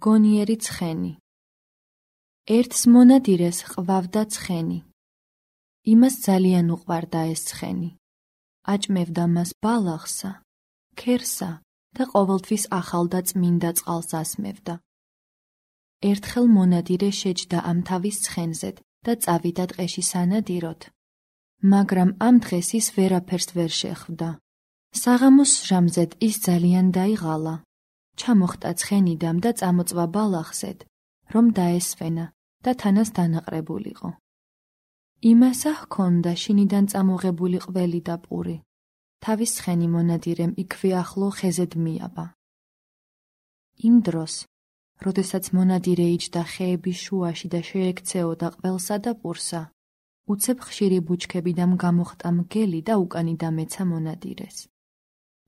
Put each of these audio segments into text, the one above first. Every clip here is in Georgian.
გონიერი ცხენი. ერთს მონადირეს ყვავდა ცხენი. იმას ძალიან უყვარდა ეს ცხენი. აჭმევდა მას ბალახსა, ქერსა და ყოველთვის ახალ და წმინდა წყალს ასმევდა. ერთხელ მონადირე შეჯდა ამ თავის ცხენზედ და წავიდა ტყეში სანადიროთ. მაგრამ ამ დღეს ის ვერაფერს ვერ შეხვდა. საღამოს ჟამზედ ის ძალიან დაიღალა. ჩამოხტა ცხენიდამ და წამოწვა ბალახზედ, რომ დაესვენა და თანას დანაყრებულიყო. იმასა ჰქონდა შინიდან წამოღებული ყველი და პური. თავის ცხენი მონადირემ იქვე ახლო ხეზედ მიაბა. იმ დროს, როდესაც მონადირე იჯდა ხეების შუაში და შეექცეოდა ყველსა და პურსა, უცებ ხშირი ბუჩქებიდან გამოხტა მგელი და უკანი დამეცა მონადირეს.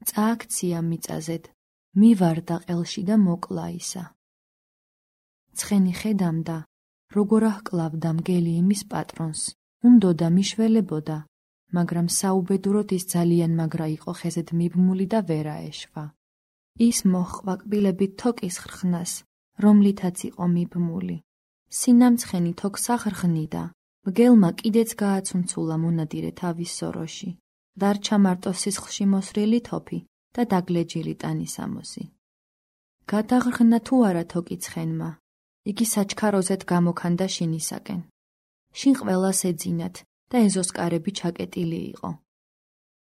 წააქცია მიწაზედ, მივარდა ყელში და მოკლა ისა. ცხენი ხედამდა, როგორ აჰკლავდა მგელი იმის პატრონს, უნდოდა მიშველებოდა, მაგრამ საუბედუროდ ის ძალიან მაგრა იყო ხეზედ მიბმული და ვერ აეშვა. ის მოჰყვა კბილებით თოკის ხრხნას, რომლითაც იყო მიბმული. სინამცხენი თოქს აღრღნიდა, მგელმა კიდეც გააცუნცულა მონადირე თავის სოროში. დარჩა მარტო სისხლში მოსრილი თოფი და დაგლეჯილი ტანისამოსი. გადაღრღნა თუ არა თოკი ცხენმა, იგი საჩქაროზედ გამოქანდა შინისაკენ. შინ ყველას ეძინათ და ეზოს კარები ჩაკეტილი იყო.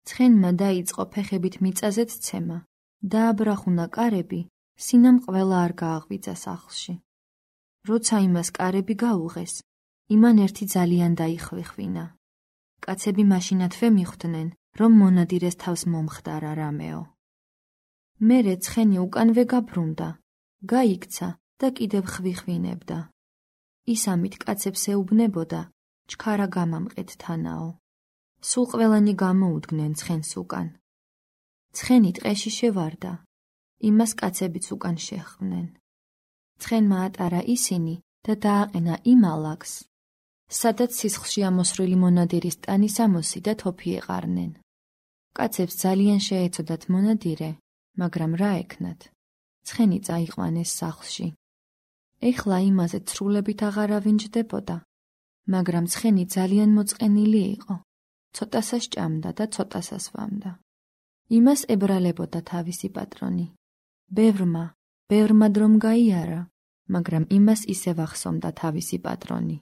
ცხენმა დაიწყო ფეხებით მიწაზედ ცემა, დააბრახუნა კარები, სინამ ყველა არ გააღვიძა სახლში. როცა იმას კარები გაუღეს, იმან ერთი ძალიან დაიხვიხვინა. კაცები მაშინათვე მიხვდნენ, რომ მონადირეს თავს მომხდარა რამეო. მერე ცხენი უკანვე გაბრუნდა, გაიქცა და კიდევ ხვიხვინებდა. ის ამით კაცებს ეუბნებოდა, ჩქარა გამამყეთ თანაო. სულ ყველანი გამოუდგნენ ცხენს უკან. ცხენი ტყეში შევარდა, იმას კაცებიც უკან შეჰყვნენ. ცხენმა ატარა ისინი და დააყენა იმ ალაგს, სადაც სისხლში ამოსრული მონადირის ტანისამოსი და თოფი ეყარნენ. კაცებს ძალიან შეეცოდათ მონადირე, მაგრამ რა ექნათ? ცხენი წაიყვანეს სახლში. ეხლა იმაზე ცრულებით აღარავინ ჯდებოდა, მაგრამ ცხენი ძალიან მოწყენილი იყო. ცოტასა სჭამდა და ცოტასა სვამდა. იმას ებრალებოდა თავისი პატრონი. ბევრმა დრომ გაიარა, მაგრამ იმას ისევ ახსომდა თავისი პატრონი.